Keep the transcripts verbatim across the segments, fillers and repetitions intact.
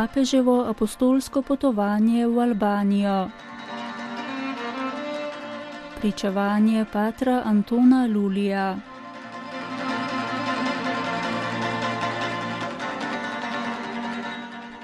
papeževo apostolsko potovanje v Albanijo. Pričevanje patra Antona Lulija.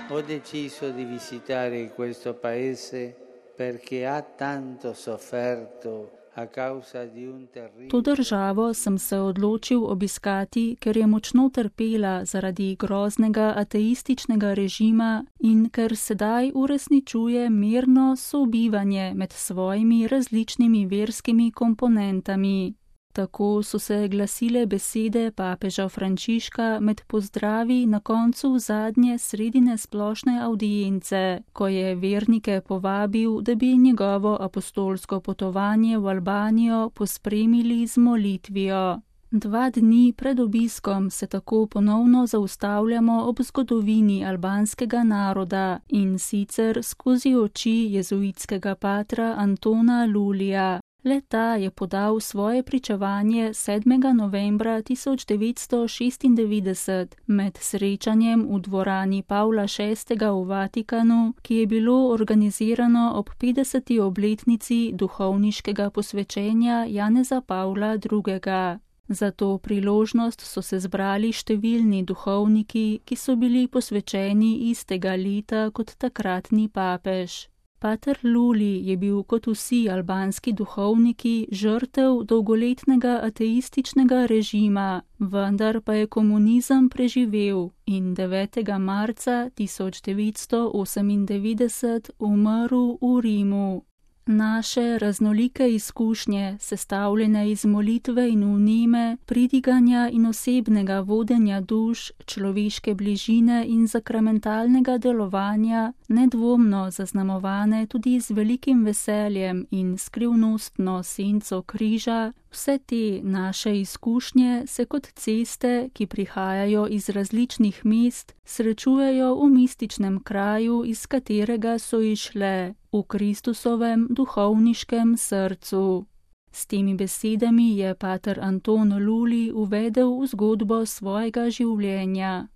Ho deciso di visitare questo paese perché ha tanto sofferto a causa di un terribile. To državo sem se odločil obiskati, ker je močno trpela zaradi groznega ateističnega režima in ker sedaj uresničuje mirno sobivanje med svojimi različnimi verskimi komponentami. Tako so se glasile besede papeža Frančiška med pozdravi na koncu zadnje sredine splošne avdience, ko je vernike povabil, da bi njegovo apostolsko potovanje v Albanijo pospremili z molitvijo. Dva dni pred obiskom se tako ponovno zaustavljamo ob zgodovini albanskega naroda in sicer skozi oči jezuitskega patra Antona Lulija. Le-ta je podal svoje pričevanje sedmega novembra tisoč devetsto šestindevetdeset med srečanjem v dvorani Pavla šestega v Vatikanu, ki je bilo organizirano ob petdeseti obletnici duhovniškega posvečenja Janeza Pavla drugega. Za to priložnost so se zbrali številni duhovniki, ki so bili posvečeni istega leta kot takratni papež. Pater Luli je bil kot vsi albanski duhovniki žrtev dolgoletnega ateističnega režima, vendar pa je komunizem preživel in devetega marca tisoč devetsto osemindevetdeset umrl v Rimu. Naše raznolike izkušnje, sestavljene iz molitve in vneme, pridiganja in osebnega vodenja duš, človeške bližine in sakramentalnega delovanja, nedvomno zaznamovane tudi z velikim veseljem in skrivnostno senco križa, vse te naše izkušnje se kot ceste, ki prihajajo iz različnih mest, srečujejo v mističnem kraju, iz katerega so išle, v Kristusovem duhovniškem srcu. S temi besedami je pater Anton Luli uvedel v zgodbo svojega življenja.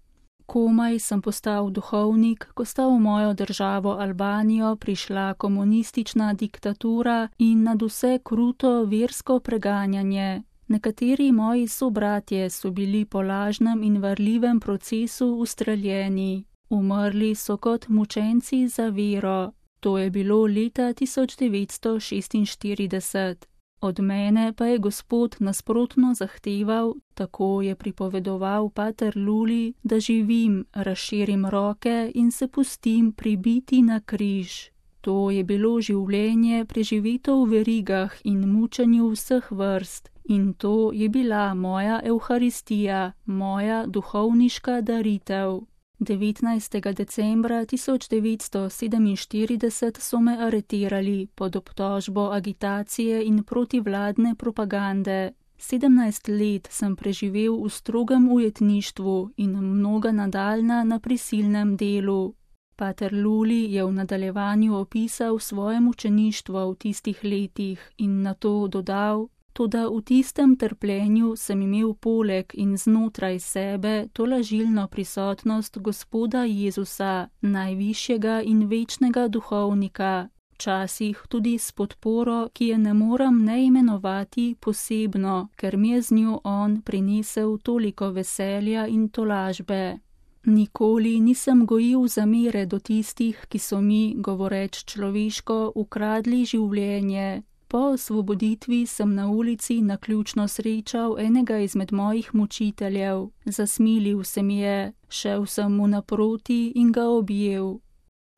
Komaj sem postal duhovnik, ko sta v mojo državo Albanijo prišla komunistična diktatura in nadvse kruto versko preganjanje. Nekateri moji sobratje so bili po lažnem in varljivem procesu ustreljeni. Umrli so kot mučenci za vero. To je bilo leta tisoč devetsto šestinštirideset. Od mene pa je Gospod nasprotno zahteval, tako je pripovedoval pater Luli, da živim, razširim roke in se pustim pribiti na križ. To je bilo življenje preživeto v verigah in mučenju vseh vrst in to je bila moja evharistija, moja duhovniška daritev. devetnajstega decembra tisoč devetsto sedeminštirideset so me aretirali pod obtožbo agitacije in protivladne propagande. Sedemnajst let sem preživel v strogem ujetništvu in mnoga nadaljna na prisilnem delu. Pater Luli je v nadaljevanju opisal svoje mučeništvo v tistih letih in nato dodal: Toda v tistem trpljenju sem imel poleg in znotraj sebe tolažilno prisotnost Gospoda Jezusa, najvišjega in večnega duhovnika, včasih tudi s podporo, ki je ne moram ne imenovati posebno, ker mi je z njo on prinesel toliko veselja in tolažbe. Nikoli nisem gojil zamere do tistih, ki so mi, govoreč človeško, ukradli življenje. Po osvoboditvi sem na ulici naključno srečal enega izmed mojih mučiteljev. Zasmilil se mi je, šel sem mu naproti in ga objel.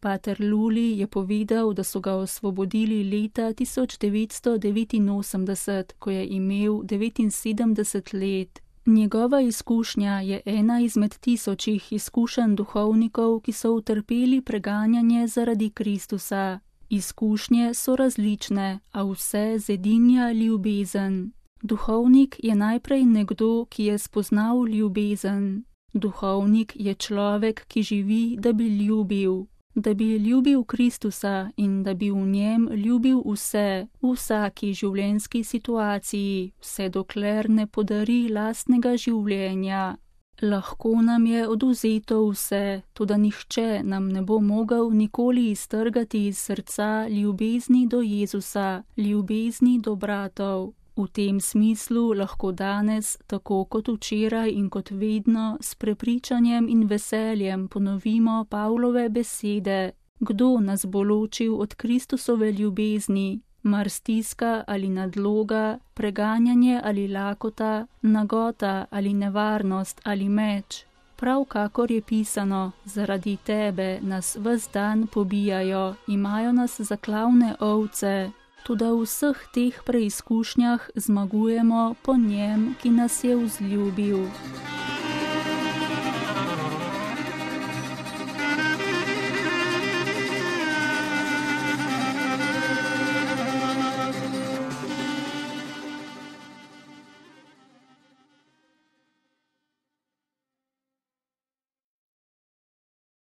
Pater Luli je povedal, da so ga osvobodili leta tisoč devetsto devetinosemdeset, ko je imel devetinsedemdeset let. Njegova izkušnja je ena izmed tisočih izkušenj duhovnikov, ki so utrpeli preganjanje zaradi Kristusa. Izkušnje so različne, a vse zedinja ljubezen. Duhovnik je najprej nekdo, ki je spoznal ljubezen. Duhovnik je človek, ki živi, da bi ljubil. Da bi ljubil Kristusa in da bi v njem ljubil vse, v vsaki življenjski situaciji, vse dokler ne podari lastnega življenja. Lahko nam je oduzeto vse, toda nihče nam ne bo mogel nikoli iztrgati iz srca ljubezni do Jezusa, ljubezni do bratov. V tem smislu lahko danes, tako kot včeraj in kot vedno, s prepričanjem in veseljem ponovimo Pavlove besede: kdo nas bo ločil od Kristusove ljubezni? Mar stiska ali nadloga, preganjanje ali lakota, nagota ali nevarnost ali meč. Prav kakor je pisano, zaradi tebe nas ves dan pobijajo, imajo nas za klavne ovce. Toda v vseh teh preizkušnjah zmagujemo po njem, ki nas je vzljubil.